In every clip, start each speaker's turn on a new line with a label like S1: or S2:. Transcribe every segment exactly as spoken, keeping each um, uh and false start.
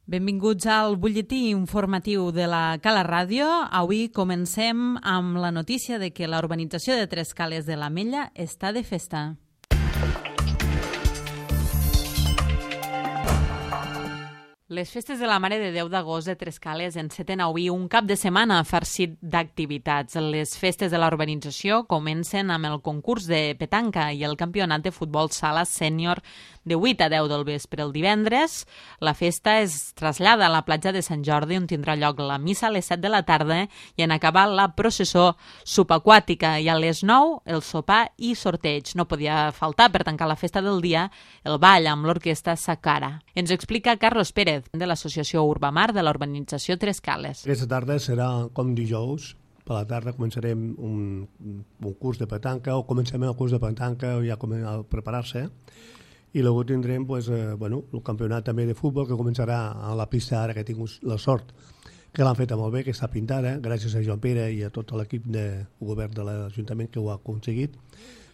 S1: Benvinguts al butlletí informatiu de la Cala Ràdio. Avui comencem amb la notícia de que la urbanització de Tres Cales de l'Ametlla està de festa. Les festes de la Mare de Déu d'Agost de Tres Cales enceten avui un cap de setmana farcit d'activitats. Les festes de la urbanització comencen amb el concurs de petanca i el campionat de futbol sala sènior de vuit a deu del vespre el divendres. La festa es trasllada a la platja de Sant Jordi, on tindrà lloc la missa a les set de la tarda i en acabar la processó subaquàtica, i a les nou el sopar i sorteig. No podia faltar, per tancar la festa del dia, el ball amb l'orquestra Sacara. Ens explica Carlos Pérez, de l'associació Urbamar de la urbanització Tres Cales.
S2: Aquesta tarda serà com dijous. Per la tarda començarem un, un curs de petanca, o comencem el curs de petanca ja a preparar-se, i després tindrem pues, eh, bueno, el campionat també de futbol, que començarà a la pista ara, que tinc la sort que l'han feta molt bé, que està pintada, gràcies a Joan Pere i a tot l'equip de govern de l'Ajuntament que ho ha aconseguit.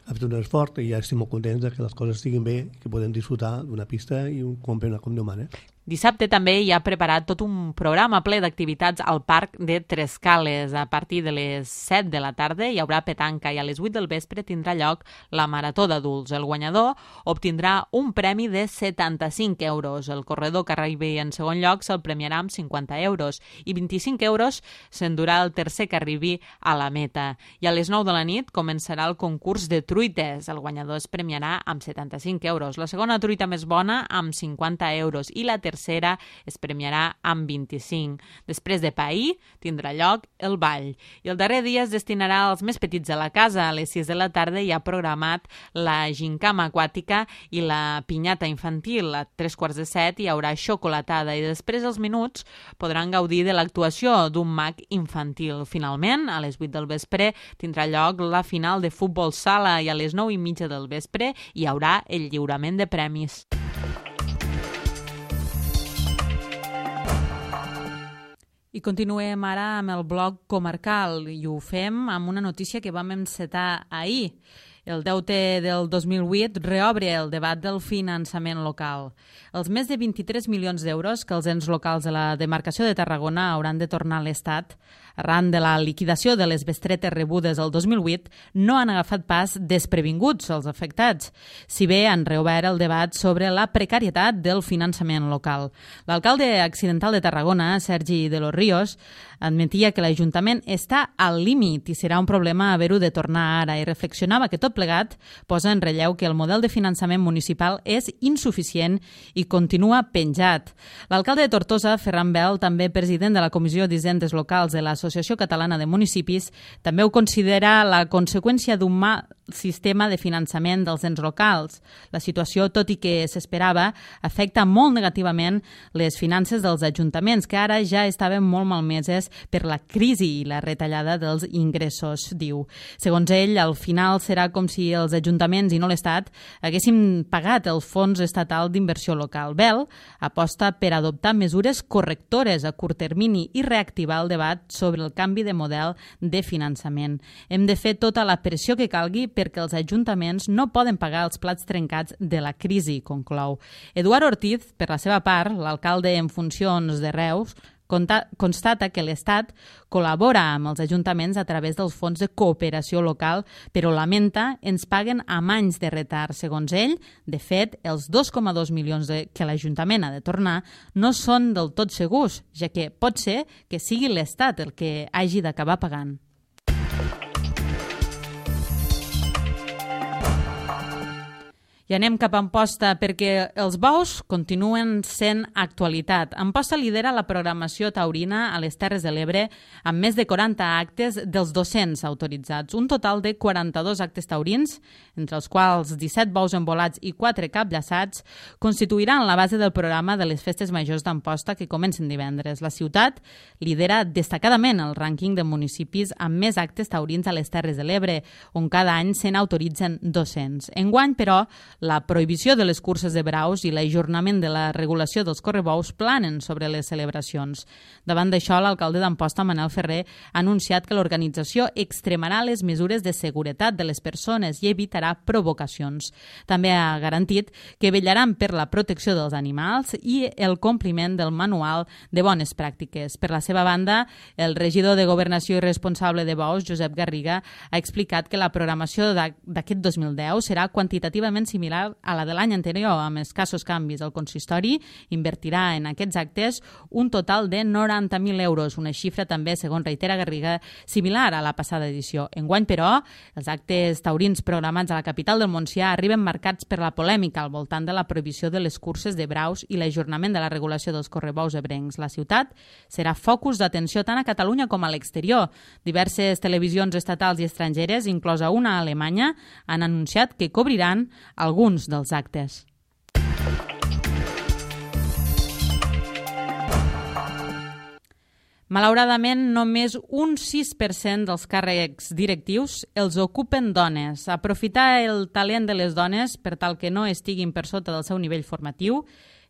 S2: Ha fet un esforç i ja estem molt contents que les coses estiguin bé i que podem disfrutar d'una pista i un campionat com Déu mana.
S1: Dissabte també hi ha preparat tot un programa ple d'activitats al Parc de Tres Cales. A partir de les set de la tarda hi haurà petanca i a les vuit del vespre tindrà lloc la Marató d'Adults. El guanyador obtindrà un premi de setanta-cinc euros. El corredor que arribi en segon lloc se'l premiarà amb cinquanta euros i vint-i-cinc euros s'endurà el tercer que arribi a la meta. I a les nou de la nit començarà el concurs de truites. El guanyador es premiarà amb setanta-cinc euros. La segona truita més bona amb cinquanta euros i la tercera tercera es premiarà amb vint-i-cinc. Després de pair tindrà lloc el ball. I el darrer dia es destinarà als més petits de la casa. A les sis de la tarda hi ha programat la gincama aquàtica i la pinyata infantil. A tres quarts de set hi haurà xocolatada i després els minuts podran gaudir de l'actuació d'un mag infantil. Finalment, a les vuit del vespre tindrà lloc la final de futbol sala i a les nou i mitja del vespre hi haurà el lliurament de premis. I continuem ara amb el bloc comarcal i ho fem amb una notícia que vam encetar ahir. El deute del dos mil vuit reobre el debat del finançament local. Els més de vint-i-tres milions d'euros que els ens locals de la demarcació de Tarragona hauran de tornar a l'Estat arran de la liquidació de les bestretes rebudes el dos mil vuit no han agafat pas desprevinguts els afectats, si bé han reobert el debat sobre la precarietat del finançament local. L'alcalde accidental de Tarragona, Sergi de los Ríos, admetia que l'Ajuntament està al límit i serà un problema haver-ho de tornar ara i reflexionava que tot plegat posa en relleu que el model de finançament municipal és insuficient i continua penjat. L'alcalde de Tortosa, Ferran Bel, també president de la Comissió d'Hisendes Locals de l'Associació Catalana de Municipis, també ho considera la conseqüència d'un mal sistema de finançament dels ens locals. La situació, tot i que s'esperava, afecta molt negativament les finances dels ajuntaments, que ara ja estaven molt malmeses per la crisi i la retallada dels ingressos, diu. Segons ell, al final serà com si els ajuntaments i no l'Estat haguessin pagat el Fons Estatal d'Inversió Local. Bel aposta per adoptar mesures correctores a curt termini i reactivar el debat sobre el canvi de model de finançament. Hem de fer tota la pressió que calgui perquè els ajuntaments no poden pagar els plats trencats de la crisi, conclou. Eduard Ortiz, per la seva part, l'alcalde en funcions de Reus, constata que l'Estat col·labora amb els ajuntaments a través dels fons de cooperació local, però lamenta ens paguen amb anys de retard. Segons ell, de fet, els dos coma dos milions de, que l'Ajuntament ha de tornar no són del tot segurs, ja que pot ser que sigui l'Estat el que hagi d'acabar pagant. I anem cap a Amposta perquè els bous continuen sent actualitat. Amposta lidera la programació taurina a les Terres de l'Ebre amb més de quaranta actes dels dos-cents autoritzats. Un total de quaranta-dos actes taurins, entre els quals disset bous envolats i quatre capllaçats, constituiran la base del programa de les festes majors d'Amposta que comencen divendres. La ciutat lidera destacadament el rànquing de municipis amb més actes taurins a les Terres de l'Ebre, on cada any se n'autoritzen dos-cents. Enguany, però, La prohibició de les curses de braus i l'ajornament de la regulació dels correbous planen sobre les celebracions. Davant d'això, l'alcalde d'Amposta, Manel Ferrer, ha anunciat que l'organització extremarà les mesures de seguretat de les persones i evitarà provocacions. També ha garantit que vetllaran per la protecció dels animals i el compliment del manual de bones pràctiques. Per la seva banda, el regidor de Governació i responsable de bous, Josep Garriga, ha explicat que la programació d'aquest dos mil deu serà quantitativament similar a la de l'any anterior, amb escassos canvis. El consistori invertirà en aquests actes un total de noranta mil euros, una xifra també, segons reitera Garriga, similar a la passada edició. Enguany, però, els actes taurins programats a la capital del Montsià arriben marcats per la polèmica al voltant de la prohibició de les curses de braus i l'ajornament de la regulació dels correbous ebrencs. La ciutat serà focus d'atenció tant a Catalunya com a l'exterior. Diverses televisions estatals i estrangeres, inclosa una a Alemanya, han anunciat que cobriran alguns dels actes. Malauradament, només un sis per cent dels càrrecs directius els ocupen dones. Aprofitar el talent de les dones per tal que no estiguin per sota del seu nivell formatiu,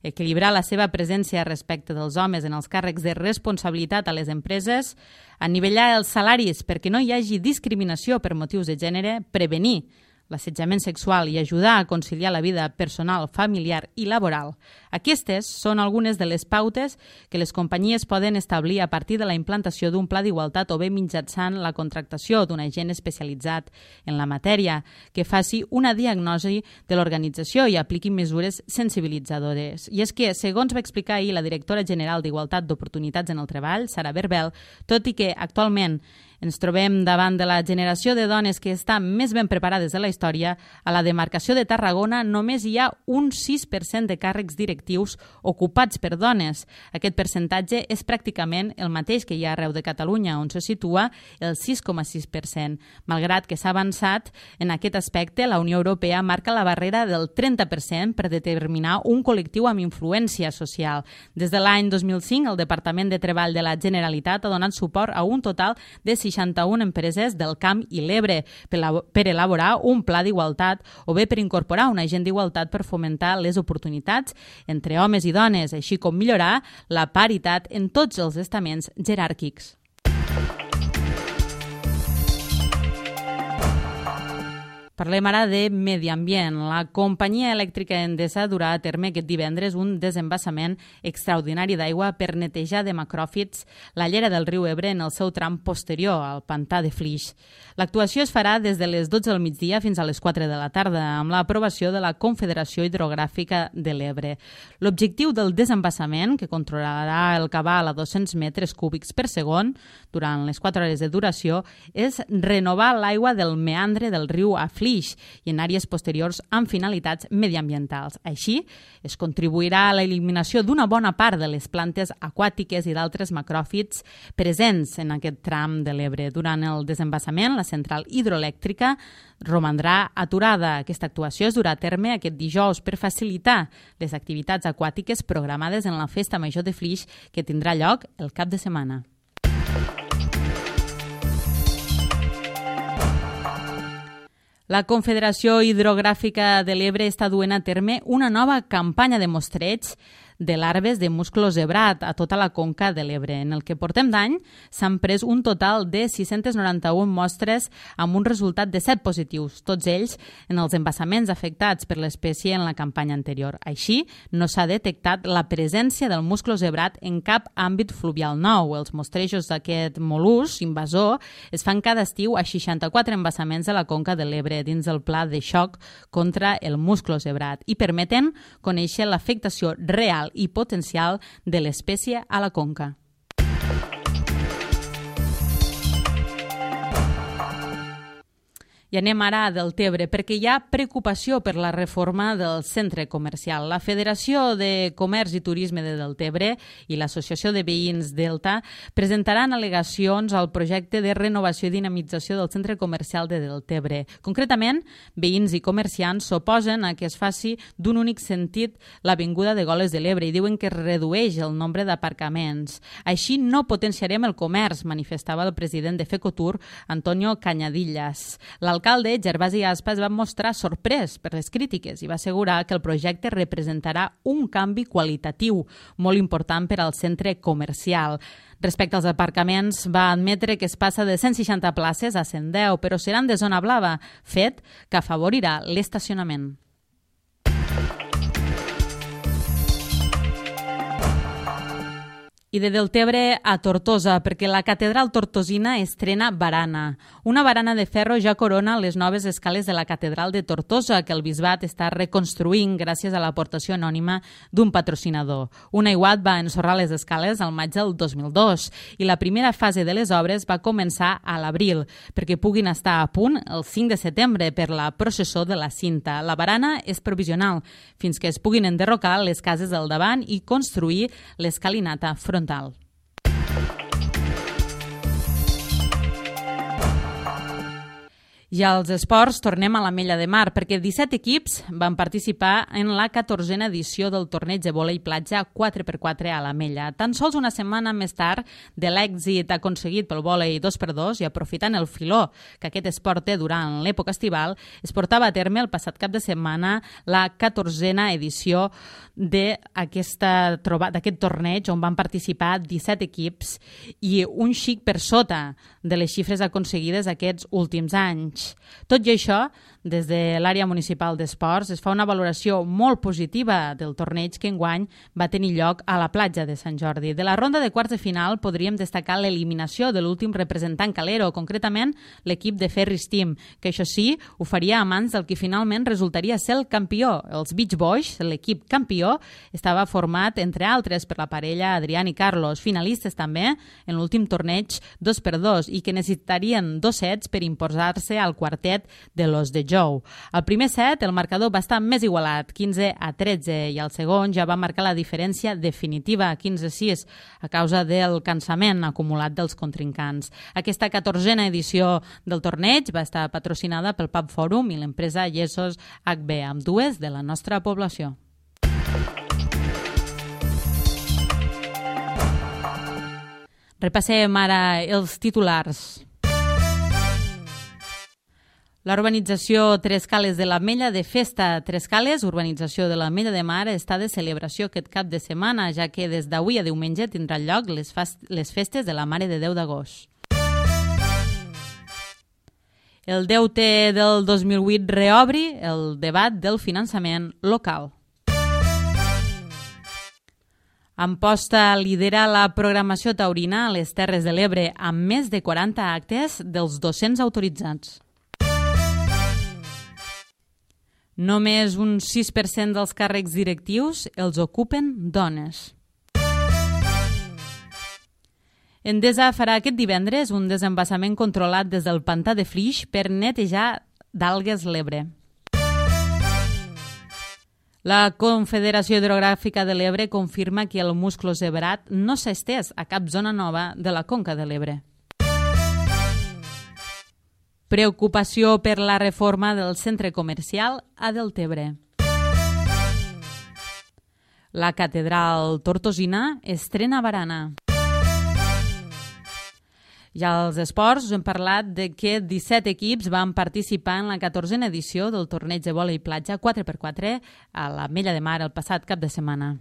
S1: equilibrar la seva presència respecte dels homes en els càrrecs de responsabilitat a les empreses, anivellar els salaris perquè no hi hagi discriminació per motius de gènere, prevenir l'assetjament sexual i ajudar a conciliar la vida personal, familiar i laboral. Aquestes són algunes de les pautes que les companyies poden establir a partir de la implantació d'un pla d'igualtat o bé mitjançant la contractació d'un agent especialitzat en la matèria que faci una diagnosi de l'organització i apliqui mesures sensibilitzadores. I és que, segons va explicar ahir la directora general d'Igualtat d'Oportunitats en el Treball, Sara Berbel, tot i que actualment ens trobem davant de la generació de dones que està més ben preparades de la història, a la demarcació de Tarragona només hi ha un sis per cent de càrrecs directius ocupats per dones. Aquest percentatge és pràcticament el mateix que hi ha arreu de Catalunya, on se situa el sis coma sis per cent. Malgrat que s'ha avançat en aquest aspecte, la Unió Europea marca la barrera del trenta per cent per determinar un col·lectiu amb influència social. Des de l'any dos mil cinc, el Departament de Treball de la Generalitat ha donat suport a un total de seixanta-una empreses del Camp i l'Ebre per elaborar un pla d'igualtat o bé per incorporar un agent d'igualtat per fomentar les oportunitats entre homes i dones, així com millorar la paritat en tots els estaments jeràrquics. Parlem ara de medi ambient. La companyia elèctrica Endesa durà a terme aquest divendres un desembassament extraordinari d'aigua per netejar de macròfits la llera del riu Ebre en el seu tram posterior, al pantà de Flix. L'actuació es farà des de les dotze del migdia fins a les quatre de la tarda, amb l'aprovació de la Confederació Hidrogràfica de l'Ebre. L'objectiu del desembassament, que controlarà el cabal a dos-cents metres cúbics per segon durant les quatre hores de duració, és renovar l'aigua del meandre del riu a Flix i en àrees posteriors amb finalitats mediambientals. Així, es contribuirà a l'eliminació d'una bona part de les plantes aquàtiques i d'altres macròfits presents en aquest tram de l'Ebre. Durant el desembassament, la central hidroelèctrica romandrà aturada. Aquesta actuació es durà a terme aquest dijous per facilitar les activitats aquàtiques programades en la Festa Major de Flix que tindrà lloc el cap de setmana. La Confederació Hidrogràfica de l'Ebre està duent a terme una nova campanya de mostreig de larves de musclo zebrat a tota la conca de l'Ebre. En el que portem d'any s'han pres un total de sis-centes noranta-una mostres amb un resultat de set positius, tots ells en els embassaments afectats per l'espècie en la campanya anterior. Així, no s'ha detectat la presència del musclo zebrat en cap àmbit fluvial nou. Els mostrejos d'aquest mol·lusc invasor es fan cada estiu a seixanta-quatre embassaments de la conca de l'Ebre dins del pla de xoc contra el musclo zebrat i permeten conèixer l'afectació real i potencial de l'espècie a la conca. I anem ara a Deltebre, perquè hi ha preocupació per la reforma del centre comercial. La Federació de Comerç i Turisme de Deltebre i l'Associació de Veïns Delta presentaran al·legacions al projecte de renovació i dinamització del centre comercial de Deltebre. Concretament, veïns i comerciants s'oposen a que es faci d'un únic sentit l'avinguda de Goles de l'Ebre i diuen que es redueix el nombre d'aparcaments. Així no potenciarem el comerç, manifestava el president de Fecotur, Antonio Cañadillas. L'alcalde L'alcalde, Gervasi Aspa, es va mostrar sorprès per les crítiques i va assegurar que el projecte representarà un canvi qualitatiu molt important per al centre comercial. Respecte als aparcaments, va admetre que es passa de cent seixanta places a cent deu, però seran de zona blava, fet que afavorirà l'estacionament. I de Deltebre a Tortosa, perquè la catedral tortosina estrena barana. Una barana de ferro ja corona les noves escales de la catedral de Tortosa, que el bisbat està reconstruint gràcies a l'aportació anònima d'un patrocinador. Un aiguat va ensorrar les escales al maig del dos mil dos i la primera fase de les obres va començar a l'abril, perquè puguin estar a punt el cinc de setembre per la processó de la cinta. La barana és provisional, fins que es puguin enderrocar les cases del davant i construir l'escalinata frontal. I als esports tornem a l'Ametlla de Mar, perquè disset equips van participar en la catorzena edició del torneig de vòlei platja quatre per quatre a l'Ametlla. Tan sols una setmana més tard de l'èxit aconseguit pel vòlei dos per dos i aprofitant el filó que aquest esport té durant l'època estival, es portava a terme el passat cap de setmana la catorzena edició d'aquest torneig on van participar disset equips i un xic per sota de les xifres aconseguides aquests últims anys. Tot i això, des de l'àrea municipal d'esports es fa una valoració molt positiva del torneig que enguany va tenir lloc a la platja de Sant Jordi. De la ronda de quarts de final podríem destacar l'eliminació de l'últim representant calero, concretament l'equip de Ferris Team, que això sí, ho faria a mans del que finalment resultaria ser el campió. Els Beach Boys, l'equip campió, estava format, entre altres, per la parella Adrián i Carlos, finalistes també en l'últim torneig dos per dos i que necessitarien dos sets per imposar-se al quartet de los de Jou. Al primer set el marcador va estar més igualat, quinze a tretze, i al segon ja va marcar la diferència definitiva, quinze a sis, a causa del cansament acumulat dels contrincants. Aquesta catorzena edició del torneig va estar patrocinada pel Pub Fòrum i l'empresa Yesos H B, amb dues de la nostra població. Repassem ara els titulars. La urbanització Tres Cales de l'Ametlla de Festa Tres Cales, urbanització de l'Ametlla de Mar, està de celebració aquest cap de setmana, ja que des d'avui a diumenge tindran lloc les, les festes de la Mare de Déu d'Agost. El deute del dos mil vuit reobri el debat del finançament local. Amposta lidera la programació taurina a les Terres de l'Ebre amb més de quaranta actes dels dos-cents autoritzats. Només un sis per cent dels càrrecs directius els ocupen dones. Endesa farà aquest divendres un desembassament controlat des del pantà de Flix per netejar d'algues l'Ebre. La Confederació Hidrogràfica de l'Ebre confirma que el musclo zebrat no s'ha estès a cap zona nova de la conca de l'Ebre. Preocupació per la reforma del centre comercial a Deltebre. La catedral tortosina estrena barana. I als esports us hem parlat de que disset equips van participar en la catorzena edició del torneig de vòlei platja quatre per quatre a l'Ametlla de Mar el passat cap de setmana.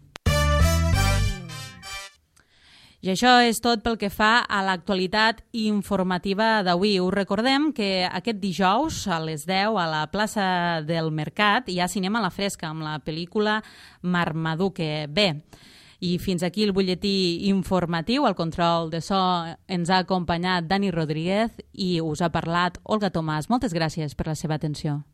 S1: I això és tot pel que fa a l'actualitat informativa d'avui. Us recordem que aquest dijous a les deu a la plaça del Mercat hi ha cinema a la fresca amb la pel·lícula Marmaduke. Bé, i fins aquí el butlletí informatiu. Al control de so ens ha acompanyat Dani Rodríguez i us ha parlat Olga Tomàs. Moltes gràcies per la seva atenció.